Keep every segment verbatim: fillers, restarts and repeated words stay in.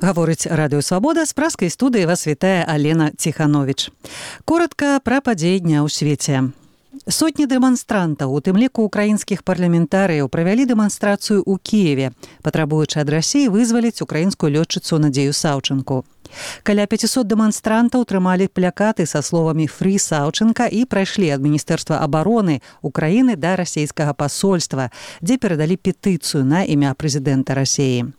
Гаворыць радыё Свабода, з праскай студыі вас вітае Алена Ціхановіч. Коротка пра падзеі дня ў свеце. Сотні дэманстрантаў, у тым ліку украінскіх парламентарыяў, правялі дэманстрацыю ў Кіеве, патрабуючы ад Расіі вызваліць украінскую лётчыцу Надзею Саўчынку. Каля пяцісот дэманстрантаў трымалі плакаты са словамі «Фрі Саўчынка» і прайшлі ад Міністэрства абароны Украіны да расійскага пасольства, дзе перадалі петыцыю на імя прэзідэнта Расіі.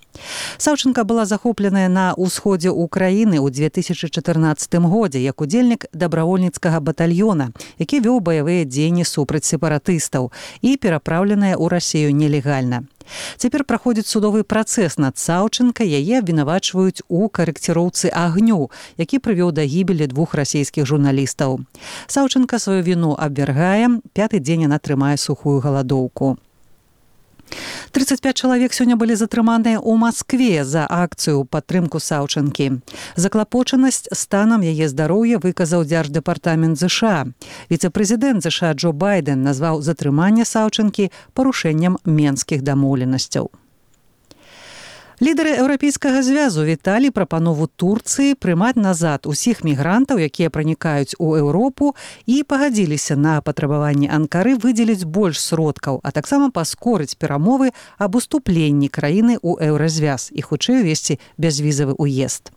Саўчынка была захопленая на ўсходзе Украіны ў две тысячы чатырнаццатым годзе як удзельнік дабравольніцкага батальёна, які вёў баявыя дзеянні супраць сепаратыстаў і перапраўленая ў Расію нелегальна. Цяпер праходзіць судовы працэс над Саўчынкай, яе абвінавачваюць у карэкціроўцы агню, які прывёў да гібелі двух расійскіх журналістаў. Саўчынка сваю віну абвяргае, пяты дзень яна трымае сухую галадоўку. трыццаць пяць чалавек сёння былі затрыманыя ў Маскве за акцыю ў падтрымку Саўчынкі. Заклапочанасць станам яе здароўя выказаў Дзярждэпартамент ЗША. Віцэ-прэзідэнт ЗША Джо Байден назваў затрыманне Саўчынкі парушэннем менскіх дамоўленасцяў. Лідары Еўрапейскага звязу віталі прапанову Турцыі прымаць назад усіх мігрантаў, якія пранікаюць у Еўропу, і пагадзіліся на патрабаванне Анкары выдзеліць больш сродкаў, а таксама паскорыць перамовы аб уступленні краіны ў еўразвяз і хутчэй увесці бязвізавы ўезд.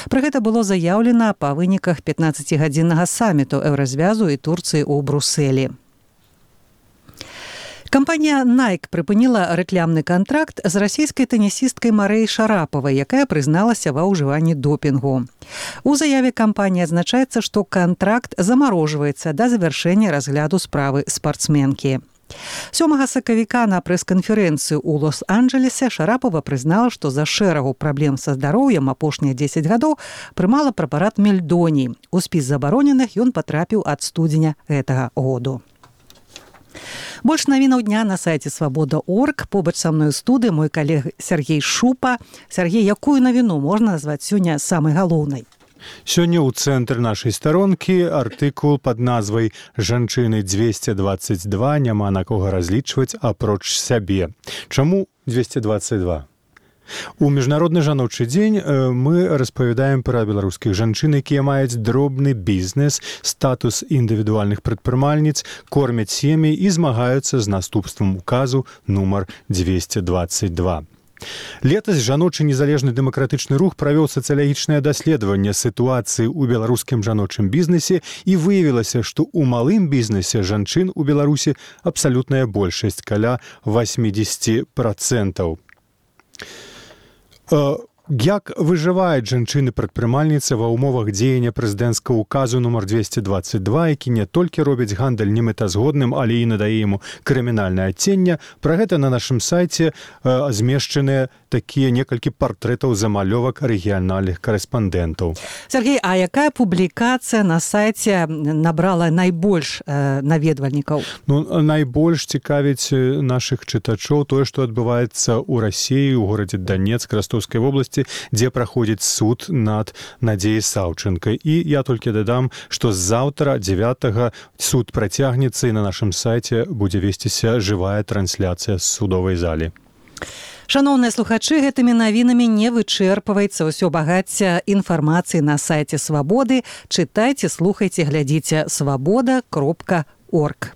Пра гэта было заяўлена па выніках пятнаццацігадзіннага саміту еўразвязу і Турцыі ў Брусэлі. Кампанія Nike прыпыніла рэклямны кантракт з расійскай тэнісісткай Марэй Шарапавай, якая прызналася ва ўжыванні допінгу. У заяве кампаніі адзначаецца, што кантракт замарожваецца да завяршэння разгляду справы спартсменкі. сёмага сакавіка на прэс-канферэнцыю ў Лос-Анджэлесе Шарапава прызнала, што за шэрагу праблем са здароўем апошнія дзесяць гадоў прымала прэпарат мельдоній. У спіс забароненых ён патрапіў ад студзеня гэтага году. Больш навінаў дня на сайце свабода точка орг. Побач са мной у студыі мой калег Сергей Шупа. Сергей, якую навіну можна назваць сёння самай галоўнай? Сёння ў цэнтры нашай старонкі артыкул пад назвай «Жанчыны дзвесце дваццаць два, няма на кога разлічваць апроч сябе». Чаму дзвесце дваццаць два? У міжнародны жаночы дзень мы распавядаем пра беларускіх жанчын, якія маюць дробны бізнес, статус індывідуальных прадпрымальніц, кормяць сем'і і змагаюцца з наступствам указу нумар дзвесце дваццаць два. Летась жаночы незалежны дэмакратычны рух правёў сацыялагічнае даследаванне сітуацыі ў беларускім жаночым бізнесе і выявілася, што ў малым бізнесе жанчын у Беларусі абсалютная большасць, каля восемьдесят процентов. Як выжываюць жанчыны-прадпрымальніцы ва ўмовах дзеяння прэзідэнцкага указу нумар дзвесце дваццаць два, які не толькі робіць гандаль немэтазгодным, але і надае яму крымінальнае адценне. Пра гэта на нашым сайце змешчаныя такія некалькі партрэтаў замалёвак рэгіянальных карэспандэнтаў. Сергей, а якая публікацыя на сайце набрала найбольш наведвальнікаў? Ну, найбольш цікавіць нашых чытачоў тое, што адбываецца ў Расіі, у горадзе Данецк, Ростовскай вобласці, дзе праходзіць суд над Надзеяй Саўчынкай. І я толькі дадам, што заўтра дзевятага суд працягнецца і на нашым сайце будзе весціся жывая трансляцыя з судовай залі. Шаноўныя слухачы, гэтымі навінамі не вычэрпваецца ўсё багацце інфармацыі на сайце Свабоды. Чытайце, слухайце, глядзіце свабода кропка орг.